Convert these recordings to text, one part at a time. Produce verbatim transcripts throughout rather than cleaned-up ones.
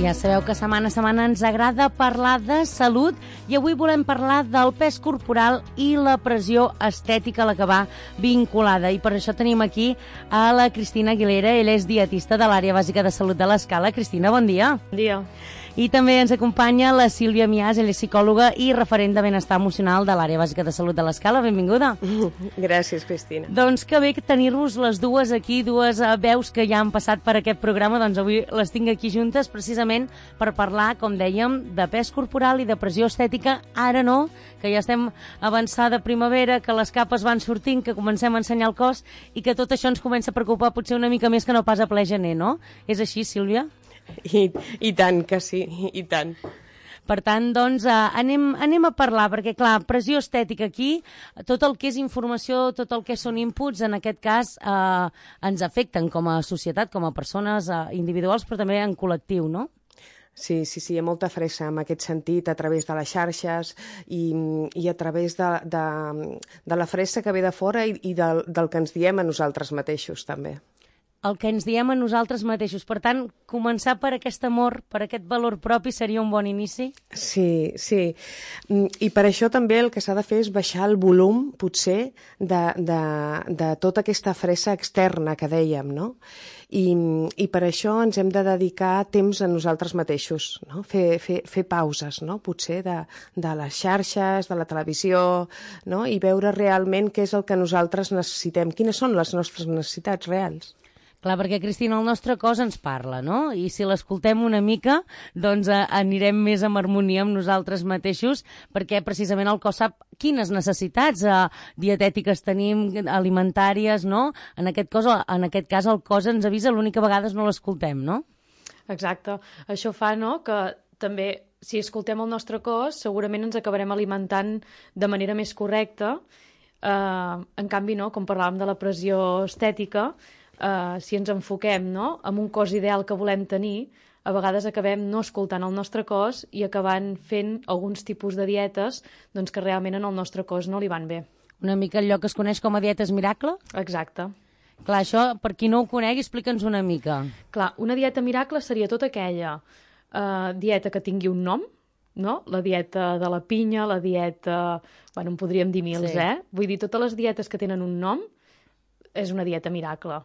Ja sabeu que setmana a setmana ens agrada parlar de salut i avui volem parlar del pes corporal i la pressió estètica a la que va vinculada. I per això tenim aquí a la Cristina Aguilera. Ella és dietista de l'àrea bàsica de salut de l'Escala. Cristina, bon dia. Bon dia. I també ens acompanya la Sílvia Mias, ella és psicòloga i referent de benestar emocional de l'àrea bàsica de salut de l'Escala. Benvinguda. Gràcies, Cristina. Doncs que bé tenir-vos les dues aquí, dues veus que ja han passat per aquest programa, doncs avui les tinc aquí juntes precisament per parlar, com dèiem, de pes corporal i de pressió estètica. Ara no, que ja estem avançada primavera, que les capes van sortint, que comencem a ensenyar el cos i que tot això ens comença a preocupar potser una mica més que no pas a ple gener, no? És així, Sílvia? I, i tant que sí, i tant. Per tant, doncs, eh, anem, anem a parlar, perquè, clar, pressió estètica aquí, tot el que és informació, tot el que són inputs, en aquest cas, eh, ens afecten com a societat, com a persones eh, individuals, però també en col·lectiu, no? Sí, sí, sí, hi ha molta fressa en aquest sentit, a través de les xarxes i, i a través de, de, de la fressa que ve de fora i, i del, del que ens diem a nosaltres mateixos, també. El que ens diem a nosaltres mateixos. Per tant, començar per aquest amor, per aquest valor propi, seria un bon inici? Sí, sí. I per això també el que s'ha de fer és baixar el volum, potser, de, de, de tota aquesta fressa externa que dèiem, no? I, i per això ens hem de dedicar temps a nosaltres mateixos, no? Fer, fer, fer pauses, no? Potser de, de les xarxes, de la televisió, no? I veure realment què és el que nosaltres necessitem, quines són les nostres necessitats reals. Clar, perquè, Cristina, el nostre cos ens parla, no? I si l'escoltem una mica, doncs eh, anirem més en harmonia amb nosaltres mateixos, perquè precisament el cos sap quines necessitats eh, dietètiques tenim, alimentàries, no? En aquest, cos, en aquest cas el cos ens avisa, l'única vegada no l'escoltem, no? Exacte. Això fa, no?, que també, si escoltem el nostre cos, segurament ens acabarem alimentant de manera més correcta. Eh, en canvi, no?, com parlàvem de la pressió estètica, Uh, si ens enfoquem, no?, amb un cos ideal que volem tenir, a vegades acabem no escoltant el nostre cos i acabant fent alguns tipus de dietes doncs, que realment en el nostre cos no li van bé. Una mica allò que es coneix com a dietes miracle? Exacte. Clar, això, per qui no ho conegui, explica'ns una mica. Clar, una dieta miracle seria tota aquella uh, dieta que tingui un nom, no? La dieta de la pinya, la dieta... Bueno, en podríem dir mils, sí. eh? Vull dir, totes les dietes que tenen un nom és una dieta miracle.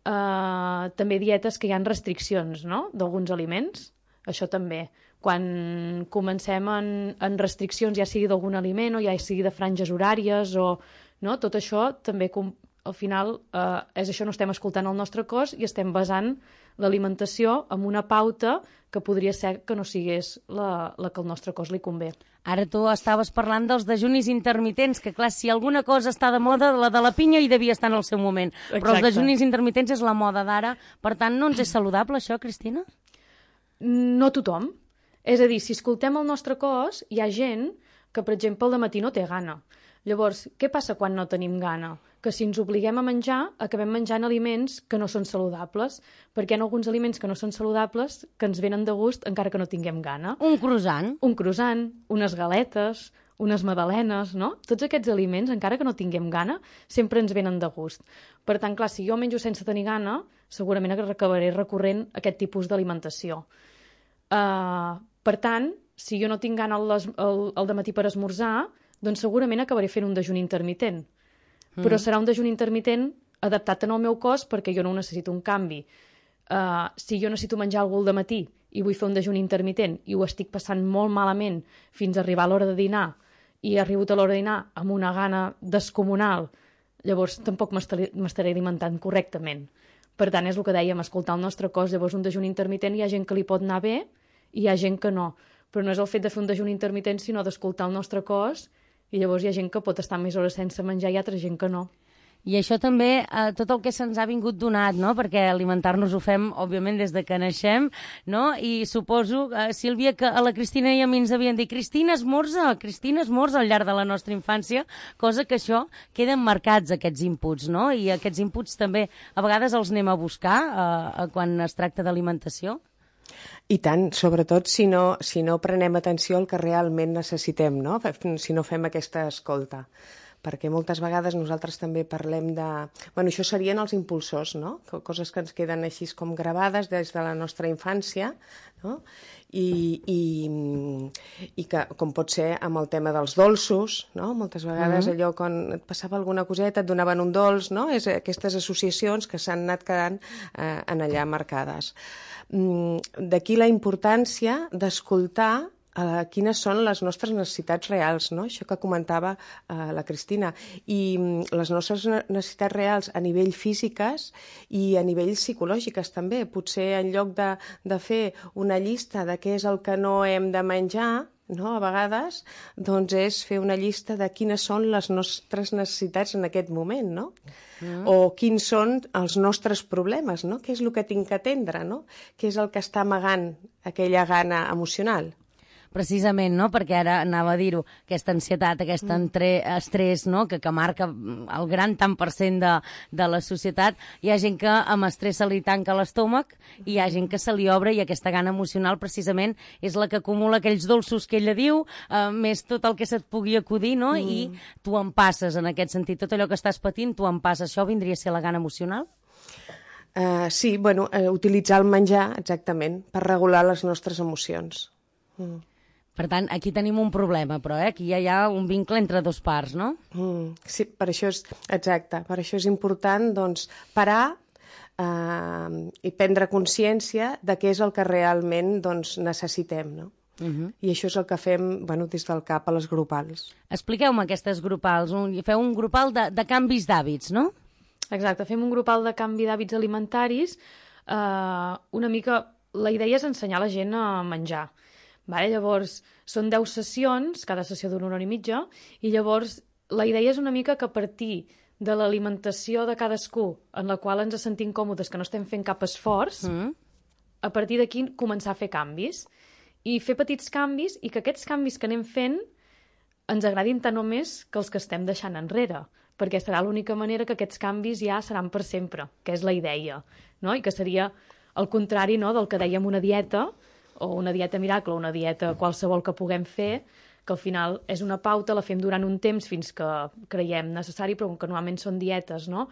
Uh, també dietes que hi ha restriccions, no?, d'alguns aliments, això també. Quan comencem en, en restriccions, ja sigui d'algun aliment o ja sigui de franges horàries, o, no?, tot això també, com, al final, uh, és això, no estem escoltant el nostre cos i estem basant l'alimentació en una pauta que podria ser que no sigués la, la que al nostre cos li convé. Ara tu estaves parlant dels dejunis intermitents, que clar, si alguna cosa està de moda, la de la pinya hi devia estar en el seu moment. Exacte. Però els dejunis intermitents és la moda d'ara. Per tant, no ens és saludable això, Cristina? No tothom. És a dir, si escoltem el nostre cos, hi ha gent que, per exemple, al matí no té gana. Llavors, què passa quan no tenim gana? Que si ens obliguem a menjar, acabem menjant aliments que no són saludables, perquè hi ha alguns aliments que no són saludables que ens venen de gust encara que no tinguem gana. Un croissant. Un croissant, unes galetes, unes magdalenes, no? Tots aquests aliments, encara que no tinguem gana, sempre ens venen de gust. Per tant, clar, si jo menjo sense tenir gana, segurament acabaré recorrent a aquest tipus d'alimentació. Uh, per tant, si jo no tinc gana al, al, al dematí per esmorzar, doncs segurament acabaré fent un dejuni intermitent. Mm. Però serà un dejuni intermitent adaptat en el meu cos perquè jo no necessito un canvi. Uh, si jo necessito menjar alguna cosa al matí i vull fer un dejuni intermitent i ho estic passant molt malament fins a arribar a l'hora de dinar i he arribat a l'hora de dinar amb una gana descomunal, llavors tampoc m'estaré alimentant correctament. Per tant, és el que dèiem, escoltar el nostre cos. Llavors un dejuni intermitent hi ha gent que li pot anar bé i hi ha gent que no. Però no és el fet de fer un dejuni intermitent, sinó d'escoltar el nostre cos. I llavors hi ha gent que pot estar més hores sense menjar i altra gent que no. I això també, eh, tot el que se'ns ha vingut donat, no?, perquè alimentar-nos ho fem, òbviament, des de que naixem, no?, i suposo, eh, Sílvia, que a la Cristina i a mi ens havien dit Cristina esmorza, Cristina esmorza al llarg de la nostra infància, cosa que això queden marcats, aquests inputs, no?, i aquests inputs també a vegades els anem a buscar eh, quan es tracta d'alimentació. I tant, sobretot si no, si no prenem atenció al que realment necessitem, no? Si no fem aquesta escolta. perquè moltes vegades nosaltres també parlem de... Bueno, això serien els impulsors, no? Coses que ens queden així com gravades des de la nostra infància, no? I, i, i que, com pot ser amb el tema dels dolços, no? Moltes vegades mm-hmm. allò quan et passava alguna coseta et donaven un dolç, no? És aquestes associacions que s'han anat quedant eh, en allà marcades. Mm, d'aquí la importància d'escoltar Uh, quines són les nostres necessitats reals, no? Això que comentava uh, la Cristina. I um, les nostres necessitats reals a nivell físiques i a nivell psicològiques també. Potser en lloc de, de fer una llista de què és el que no hem de menjar, no? A vegades, doncs és fer una llista de quines són les nostres necessitats en aquest moment, no? Mm. O quins són els nostres problemes, no? Què és el que tinc que atendre, no? Què és el que està amagant aquella gana emocional? Precisament, no? Perquè ara anava a dir-ho, aquesta ansietat, aquest entre, estrès, no? que, que marca el gran tant per cent de, de la societat. Hi ha gent que amb estrès se li tanca l'estómac i hi ha gent que se li obre i aquesta gana emocional precisament és la que acumula aquells dolços que ella diu, eh, més tot el que se't pugui acudir, no? Mm. I tu en passes en aquest sentit. Tot allò que estàs patint, tu en passes. Això vindria a ser la gana emocional? Uh, sí, bueno, uh, utilitzar el menjar, exactament, per regular les nostres emocions. Mm. Per tant, aquí tenim un problema, però eh? Aquí ja hi ha un vincle entre dos parts, no? Mm, sí, per això és exacte. Per això és important doncs, parar eh, i prendre consciència de què és el que realment doncs, necessitem, no? Uh-huh. I això és el que fem bueno, des del CAP a les grupals. Expliqueu-me aquestes grupals. Un, feu un grupal de, de canvis d'hàbits, no? Exacte, fem un grupal de canvi d'hàbits alimentaris. Eh, una mica... La idea és ensenyar la gent a menjar. Vale? Llavors, són deu sessions, cada sessió d'una hora i mitja, i llavors la idea és una mica que a partir de l'alimentació de cadascú, en la qual ens sentim còmodes, que no estem fent cap esforç, mm. a partir d'aquí començar a fer canvis. I fer petits canvis, i que aquests canvis que anem fent ens agradin tant o més que els que estem deixant enrere, perquè serà l'única manera que aquests canvis ja seran per sempre, que és la idea, no? I que seria el contrari, no?, del que dèiem una dieta, o una dieta miracle, o una dieta qualsevol que puguem fer, que al final és una pauta, la fem durant un temps fins que creiem necessari, però que normalment són dietes, no?,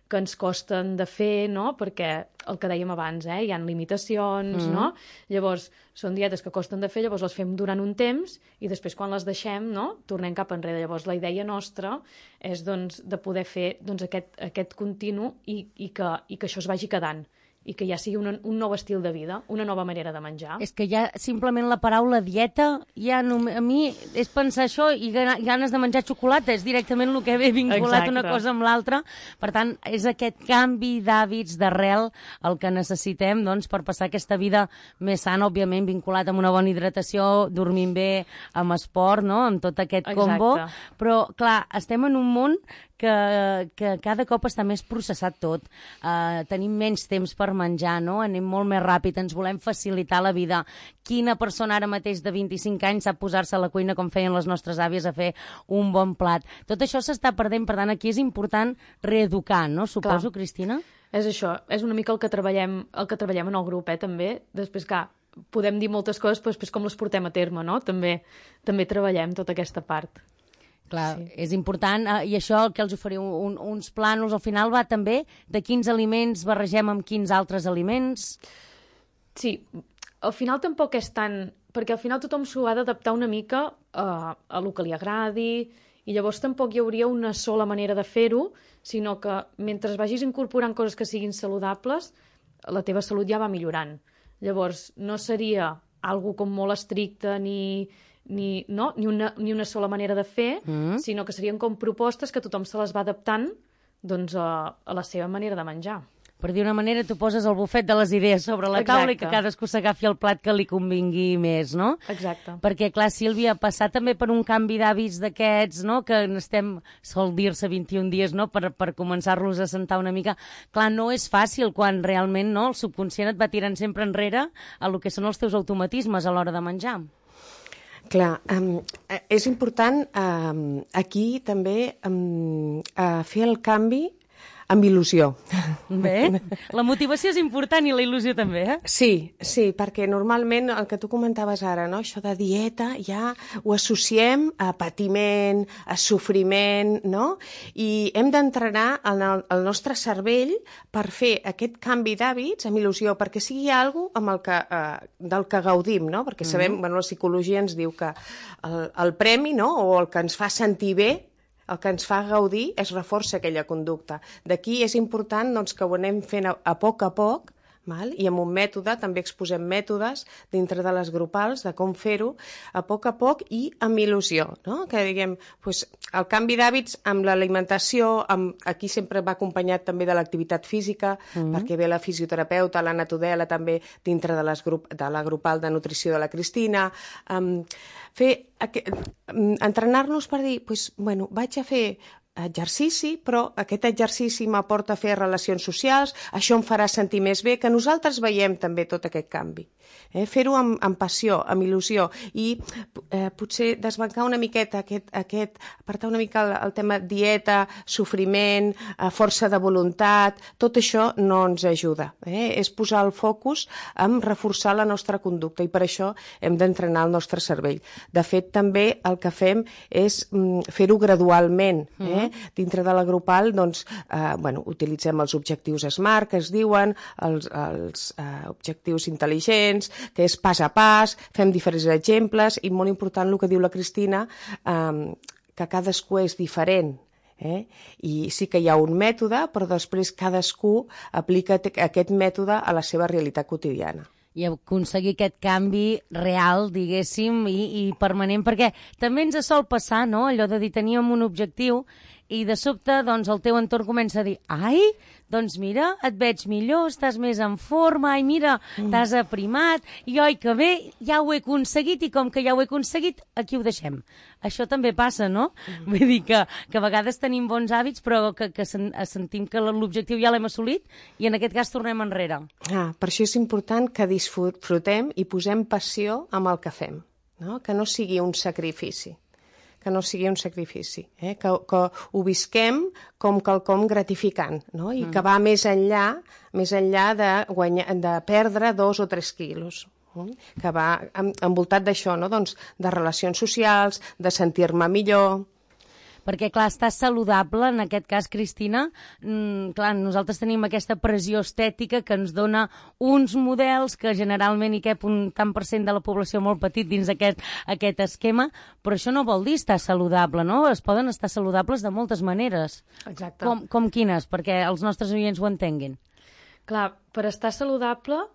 que ens costen de fer, no?, perquè el que dèiem abans, eh, hi ha limitacions, mm. no? Llavors, són dietes que costen de fer, llavors les fem durant un temps i després quan les deixem, no?, tornem cap enrere. Llavors, la idea nostra és, doncs, de poder fer doncs, aquest, aquest continu i, i, que, i que això es vagi quedant, i que ja sigui un, un nou estil de vida, una nova manera de menjar. És que ja simplement la paraula dieta, ja no, a mi és pensar això i ganes de menjar xocolata, és directament el que ve vinculat Exacte. Una cosa amb l'altra. Per tant, és aquest canvi d'hàbits d'arrel el que necessitem doncs, per passar aquesta vida més sana, òbviament vinculat amb una bona hidratació, dormint bé, amb esport, no? Amb tot aquest Exacte. combo. Però, clar, estem en un món que, que cada cop està més processat tot. Uh, tenim menys temps per menjar, no? Anem molt més ràpid, ens volem facilitar la vida. Quina persona ara mateix de vint-i-cinc anys sap posar-se a la cuina com feien les nostres àvies a fer un bon plat? Tot això s'està perdent, per tant, aquí és important reeducar, no? Suposo, Clar. Cristina? És això, és una mica el que treballem, el que treballem en el grup, eh, també. Després, clar, podem dir moltes coses, però després com les portem a terme, no? També, també treballem tota aquesta part. Clar, sí. És important, eh, i això que els oferiu un, uns plànols, al final va també de quins aliments barregem amb quins altres aliments? Sí, al final tampoc és tant... Perquè al final tothom s'ho ha d'adaptar una mica a, a lo que li agradi, i llavors tampoc hi hauria una sola manera de fer-ho, sinó que mentre vagis incorporant coses que siguin saludables, la teva salut ja va millorant. Llavors, no seria algo com molt estricte ni... Ni, no? ni, una, ni una sola manera de fer, mm. sinó que serien com propostes que tothom se les va adaptant doncs, a, a la seva manera de menjar. Per dir una manera, tu poses el bufet de les idees sobre la Exacte. Taula i que cadascú s'agafi el plat que li convingui més, no? Exacte. Perquè, clar, Sílvia, passar també per un canvi d'hàbits d'aquests, no?, que estem, sol dir-se vint-i-un dies, no?, per, per començar-los a sentar una mica. Clar, no és fàcil quan realment, no?, el subconscient et va tirant sempre enrere a lo que són els teus automatismes a l'hora de menjar. Clar, um, és important um, aquí també um, uh, fer el canvi amb il·lusió. Bé, la motivació és important i la il·lusió també, eh? Sí, sí, perquè normalment el que tu comentaves ara, no? Això de dieta ja ho associem a patiment, a sofriment, no? I hem d'entrenar el, el nostre cervell per fer aquest canvi d'hàbits amb il·lusió, perquè sigui alguna cosa amb el que, eh, del que gaudim, no? Perquè sabem, mm-hmm. bueno, la psicologia ens diu que el, el premi, no?, o el que ens fa sentir bé, el que ens fa gaudir es reforça aquella conducta. D'aquí és important doncs, que ho anem fent a, a poc a poc, val? I amb un mètode, també exposem mètodes dintre de les grupals de com fer-ho a poc a poc i amb il·lusió, no? Que diguem, doncs, el canvi d'hàbits amb l'alimentació, amb... aquí sempre va acompanyat també de l'activitat física, mm-hmm. perquè ve la fisioterapeuta, la Natudela també dintre de, les grup... de la grupal de nutrició de la Cristina, um, fer entrenar-nos per dir, doncs, bueno, vaig a fer exercici, però aquest exercici m'aporta a fer relacions socials, això em farà sentir més bé, que nosaltres veiem també tot aquest canvi. Eh? Fer-ho amb, amb passió, amb il·lusió, i eh, potser desbancar una miqueta aquest, aquest apartar una mica el, el tema dieta, sofriment, eh, força de voluntat, tot això no ens ajuda. Eh? És posar el focus en reforçar la nostra conducta, i per això hem d'entrenar el nostre cervell. De fet, també el que fem és mm, fer-ho gradualment, eh? Mm-hmm. Dintre de la grupal, doncs, eh, bueno, utilitzem els objectius SMART, que es diuen, els, els eh, objectius intel·ligents, que és pas a pas, fem diferents exemples, i molt important el que diu la Cristina, eh, que cadascú és diferent. Eh? I sí que hi ha un mètode, però després cadascú aplica aquest mètode a la seva realitat quotidiana. I aconseguir aquest canvi real, diguéssim, i, i permanent, perquè també ens sol passar, no?, allò de dir teníem un objectiu i de sobte doncs, el teu entorn comença a dir ai, doncs mira, et veig millor, estàs més en forma, ai, mira, mm. t'has aprimat, i oi, que bé, ja ho he aconseguit, i com que ja ho he aconseguit, aquí ho deixem. Això també passa, no? Mm. Vull dir que, que a vegades tenim bons hàbits, però que, que sen, sentim que l'objectiu ja l'hem assolit, i en aquest cas tornem enrere. Ah, per això és important que disfrutem i posem passió amb el que fem, no? Que no sigui un sacrifici. que no sigui un sacrifici, eh? que, que ho visquem com quelcom gratificant, no? I mm. que va més enllà, més enllà de, guanyar, de perdre dos o tres quilos, eh? Que va envoltat d'això, no? Doncs, de relacions socials, de sentir-me millor. Perquè, clar, estar saludable, en aquest cas, Cristina, mmm, clar, nosaltres tenim aquesta pressió estètica que ens dona uns models que generalment hi cap un tant per cent de la població molt petit dins aquest, aquest esquema, però això no vol dir estar saludable, no? Es poden estar saludables de moltes maneres. Exacte. Com, com quines? Perquè els nostres oients ho entenguin. Clar, per estar saludable...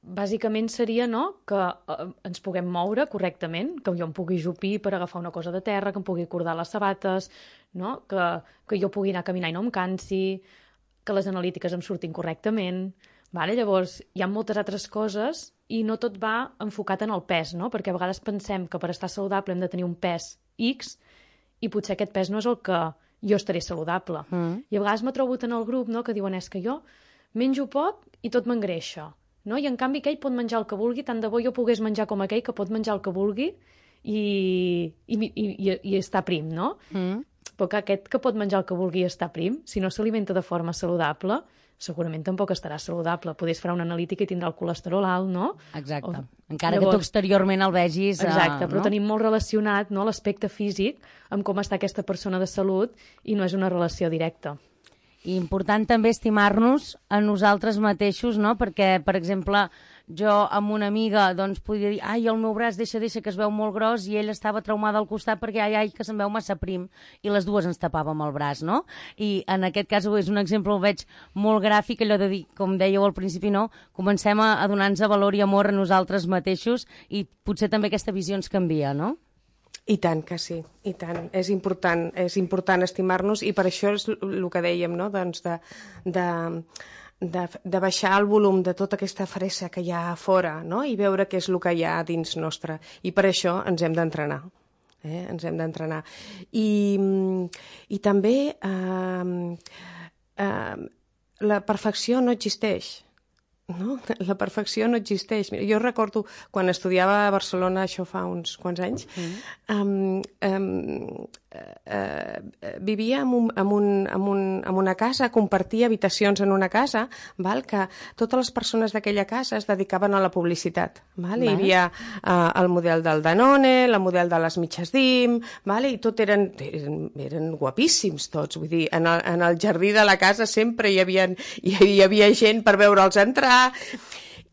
Bàsicament seria, no?, que eh, ens puguem moure correctament, que jo em pugui jupir per agafar una cosa de terra, que em pugui cordar les sabates, no?, que, que jo pugui anar a caminar i no em cansi, que les analítiques em surtin correctament. Vale? Llavors, hi ha moltes altres coses i no tot va enfocat en el pes, no?, perquè a vegades pensem que per estar saludable hem de tenir un pes X i potser aquest pes no és el que jo estaré saludable. Mm. I a vegades m'he trobat en el grup, no?, que diuen és que jo menjo poc i tot m'engreixa. No? I en canvi aquell pot menjar el que vulgui, tant de bo jo pogués menjar com aquell que pot menjar el que vulgui i, i, i, i, i estar prim, no? Mm. Però que aquest que pot menjar el que vulgui i estar prim, si no s'alimenta de forma saludable, segurament tampoc estarà saludable. Podés fer una analítica i tindrà el colesterol alt, no? Exacte. O... Encara Llavors, que tu exteriorment el vegis... Exacte, uh, però no? tenim molt relacionat, no?, l'aspecte físic amb com està aquesta persona de salut i no és una relació directa. I important també estimar-nos a nosaltres mateixos, no? Perquè, per exemple, jo amb una amiga doncs, podia dir ai, el meu braç deixa, deixa, que es veu molt gros, i ella estava traumada al costat perquè ai, ai, que se'n veu massa prim, i les dues ens tapàvem el braç, no? I en aquest cas és un exemple, el veig molt gràfic, allò de dir, com dèieu al principi, no? Comencem a, a donar-nos valor i amor a nosaltres mateixos, i potser també aquesta visió ens canvia, no? I tant que sí, i tant. És important, és important estimar-nos, i per això és el que dèiem, no? Doncs de, de, de, de baixar el volum de tota aquesta fressa que hi ha a fora, no? I veure què és el que hi ha dins nostre. I per això ens hem d'entrenar. Eh? Ens hem d'entrenar. I, i també eh, eh, la perfecció no existeix. No? La perfecció no existeix. Mira, jo recordo quan estudiava a Barcelona, això fa uns quants anys, mm. um, um, eh, vivia en, un, en, un, en, un, en una casa, compartia habitacions en una casa, val? Que totes les persones d'aquella casa es dedicaven a la publicitat. Val? Val. Hi havia eh, el model del Danone, el model de les mitges d'Im, val? I tot eren, eren, eren guapíssims tots. Vull dir, en el, en el jardí de la casa sempre hi havia, hi, hi havia gent per veure'ls entrar.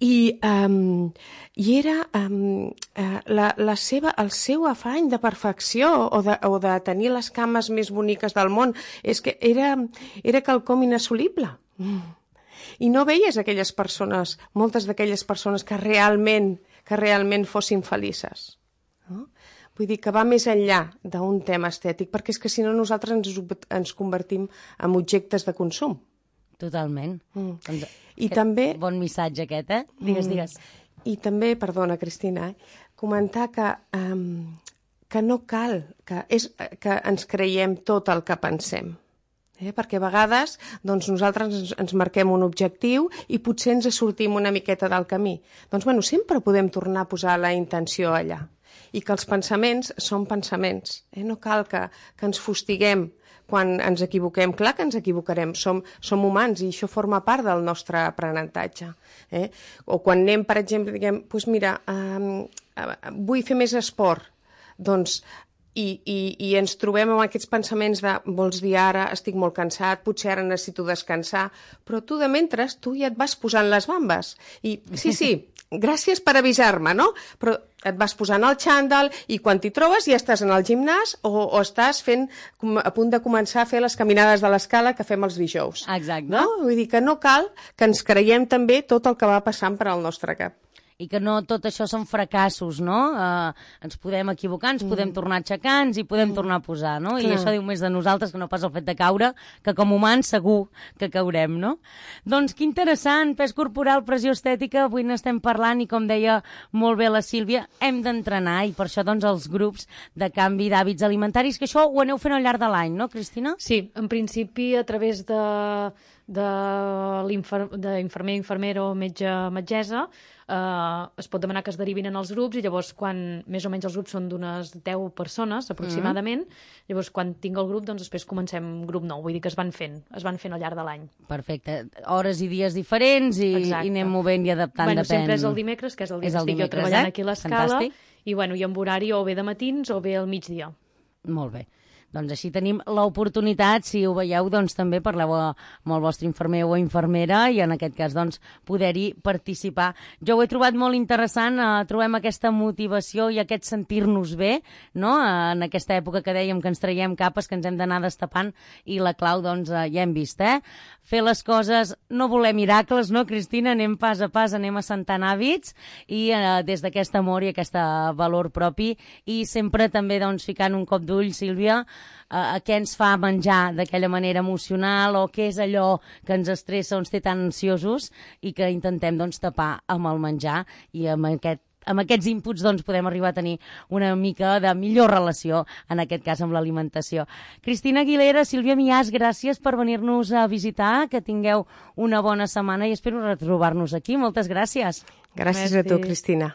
I, um, i era um, uh, la, la seva, el seu afany de perfecció o de, o de tenir les cames més boniques del món és que era, era quelcom inassolible. Mm. I no veies aquelles persones, moltes d'aquelles persones que realment, que realment fossin felices. No? Vull dir que va més enllà d'un tema estètic, perquè és que si no nosaltres ens, ens convertim en objectes de consum. Totalment. Mm. Doncs, I també... Bon missatge aquest, eh? Digues, digues. I també, perdona, Cristina, eh, comentar que, um, que no cal que, és, que ens creiem tot el que pensem. Eh? Perquè a vegades doncs, nosaltres ens, ens marquem un objectiu i potser ens sortim una miqueta del camí. Doncs bueno, sempre podem tornar a posar la intenció allà. I que els pensaments són pensaments. Eh? No cal que, que ens fustiguem quan ens equivoquem. Clar que ens equivocarem, som, som humans i això forma part del nostre aprenentatge. Eh? O quan anem, per exemple, diguem, doncs mira, eh, vull fer més esport, doncs, i, i, i ens trobem amb aquests pensaments de, vols dir ara, estic molt cansat, potser ara necessito descansar, però tu de mentre, tu ja et vas posant les bambes. I sí, sí, gràcies per avisar-me, no? Però et vas posant el xandall i quan t'hi trobes ja estàs en el gimnàs o, o estàs fent, a punt de començar a fer les caminades de l'escala que fem els dijous. Exacte. No? Vull dir que no cal que ens creiem també tot el que va passant per al nostre cap. I que no tot això són fracassos, no? Uh, ens podem equivocar, ens mm. podem tornar a aixecar, ens hi podem mm. tornar a posar, no? Clar. I això diu més de nosaltres que no pas el fet de caure, que com humans segur que caurem, no? Doncs que interessant, pes corporal, pressió estètica, avui n'estem parlant i com deia molt bé la Sílvia, hem d'entrenar i per això doncs els grups de canvi d'hàbits alimentaris, que això ho aneu fent al llarg de l'any, no, Cristina? Sí, en principi a través de... de l'infermer, infermera o metge, metgessa, eh, es pot demanar que es derivin en els grups i llavors quan més o menys els grups són d'unes deu persones aproximadament, mm. llavors quan tinc el grup doncs després comencem grup nou, vull dir que es van fent, es van fent al llarg de l'any. Perfecte, hores i dies diferents i, i anem movent i adaptant, bueno, depèn. Sempre és el dimecres, que és el dia és que el estic dimecres, jo treballant eh? aquí a l'escala, Fantàstic. i, bueno, i amb horari o bé de matins o bé al migdia. Molt bé. Doncs així tenim l'oportunitat, si ho veieu, doncs també parleu amb el vostre infermer o infermera i en aquest cas doncs poder-hi participar. Jo ho he trobat molt interessant, eh, trobem aquesta motivació i aquest sentir-nos bé, no? En aquesta època que dèiem que ens traiem capes, que ens hem d'anar destapant i la clau doncs eh, ja hem vist, eh? Fer les coses, no voler miracles, no, Cristina? Anem pas a pas, anem assentant hàbits i eh, des d'aquest amor i aquest valor propi i sempre també doncs ficant un cop d'ull, Sílvia, a què ens fa menjar d'aquella manera emocional o què és allò que ens estressa o ens té tan ansiosos i que intentem doncs, tapar amb el menjar i amb aquest amb aquests inputs doncs, podem arribar a tenir una mica de millor relació, en aquest cas amb l'alimentació. Cristina Aguilera, Sílvia Miàs, gràcies per venir-nos a visitar, que tingueu una bona setmana i espero retrobar-nos aquí. Moltes gràcies. Gràcies Merci. A tu, Cristina.